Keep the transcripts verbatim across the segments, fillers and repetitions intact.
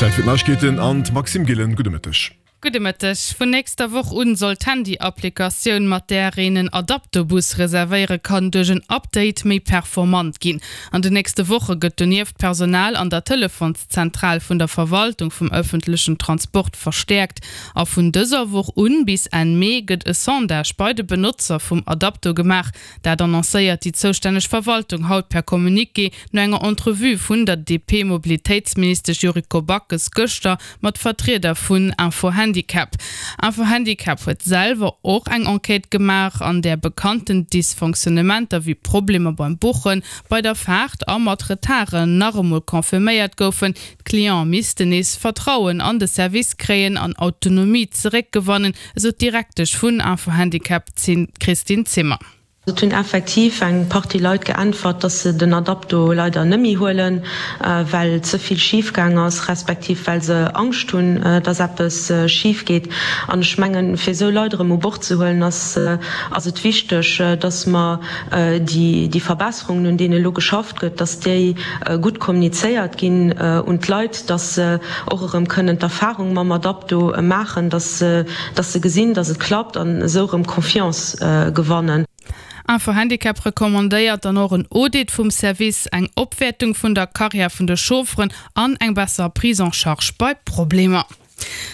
Zäit fir d'Neiegkeeten an d'Maxime Gillen. Gudde Mëtteg. Gudde Mëtteg. Vun nächster Woch un soll d'Handy-Applikatioun, mat där een en Adapto-Bus reservéiere kann, duerch en Update méi performant ginn. An den nächste Woche gëtt donieft d'Personal an der Telefonszentral vun der Verwaltung vum ëffentlechen Transport verstäerkt. A vun dëser Woch un bis Enn Mee gëtt e Sondage bei de Benotzer vum Adapto gemaach. Dat annoncéiert déi zoustänneg Verwaltung haut per Communiqué no enger Entrevue vun der D P-Mobilitéitsministesch Yuriko Backes gëschter mat Vertrieder vun Info-Handicap. Info-Handicap huet selwer och eng Enquête gemaach, an där bekannten Dysfonctionnementer wéi Problemer beim Buchen, bei der Faart a mat Retarden nach emol confirméiert goufen. D'Cliente missten nees Vertrauen an de Service kréien an Autonomie zeréckgewannen, esou d'Direktesch vun Info-Handicap Christine Zimmer. Et hunn effektiv eng Partie Leit geäntwert, dass se den Adapto leider net méi huelen, well ze vill schif gaang ass, respektiv well se Angscht hunn, dass eppes schif geet. An ech mengen, fir esou Leit erëm u Bord ze huelen, ass ass et wichteg, dass mer déi Verbesserungen, un deene elo geschafft gëtt, dass déi gutt kommunizéiert ginn un d'Leit, dass se och erëm kënnen d'Erfahrung mam Adapto maachen, dass se gesinn, dass et klappt an esou erëm Confiance gewannen. Info-Handicap recommandéiert dann och en Audit vum Service, eng Opwäertung vun der Karriär vun de Chaufferen an eng besser Prise en charge bei Problemer.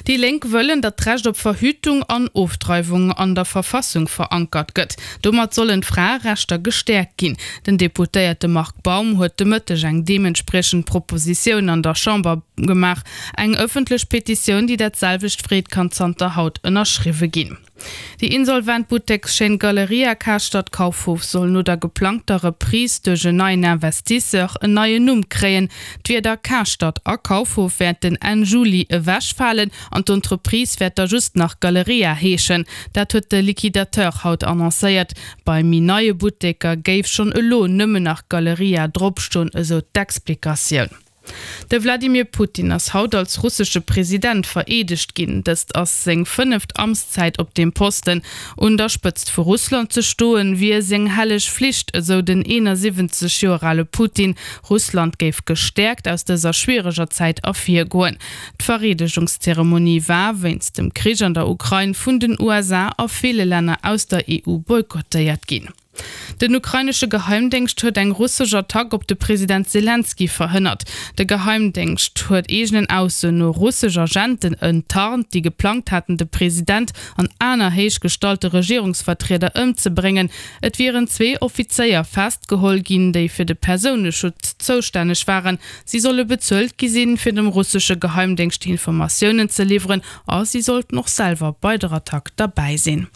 Déi Lénk wëllen, datt d'Recht op Verhütung an Ofdreiwung an der Verfassung verankert gëtt. Domat sollen d'Fraerechter gestäerkt ginn. Den Deputéierte Marc Baum huet de Mëtteg eng deementspriechend Propositioun an der Chamber gemaach. Eng ëffentlech Petitioun, déi dat selwecht freet, kann zanter haut ënnerschriwwe ginn. Déi insolvent Buttekschaîne Galeria Karstadt Kaufhof soll no der geplangter Reprise duerch en neien Investisseur en neien Numm kréien. D'Wierder Karstadt a Kaufhof wäerten Enn Juli ewechfalen an d'Entreprise wäert da just nach Galeria heeschen. Dat huet de Liquidateur haut annoncéiert. Bei méi neie Butteker géif schonn elo nëmmen nach Galeria dropstoen, esou d'Explikatioun. De Wladimir Putin ass haut als russesche President vereedegt ginn. Dëst ass seng fënneft Amtszäit op deem Posten. Un der Spëtzt vu Russland ze stoen, wier seng helleg Flicht, esou den eenansiwwenzeg Joer ale Putin. Russland géif gestäerkt aus dëser schwiereger Zäit ervirgoen. D'Vereedegungszeremonie war wéinst dem Krich an der Ukrain vun den U S A a ville Länner aus der E U boykottéiert ginn. Den ukrainesche Geheimdéngscht huet eng russesch Attack op de President Selenskyj verhënnert. De Geheimdéngscht huet eegenen Aussoen no russesch Agenten enttarnt, déi geplangt haten, de President an aner héichgestallte Regierungsvertrieder ëmzebréngen. Et wieren zwee Offizéier festgeholl ginn, déi fir de Persouneschutz zoustänneg waren. Si solle bezuelt gi sinn, fir dem russesche Geheimdéngscht Informatiounen ze liwweren a si sollten och selwer bei der Attack derbäi sinn.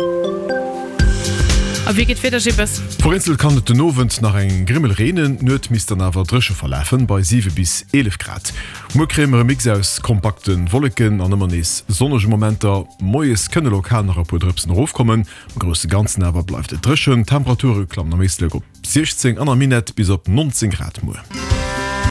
A wéi geet d'Wieder, Jippes? Vereenzelt kann et den Owend nach eng Grimmel reenen, d'Nuet misst dann awer dréche verlafen, bei siwe bis eelef Grad. Muer kréie mer e Mix aus kompakte Wolleken an ëmmer nees sonnege Momenter. Moies kënne lokal nach e puer Drëpsen erofkommen, am grousse Ganzen awer bleift et dréchen. D'Temperature klammen am Éislek op siechzéng an am Minett bis op nonzéng Grad muer.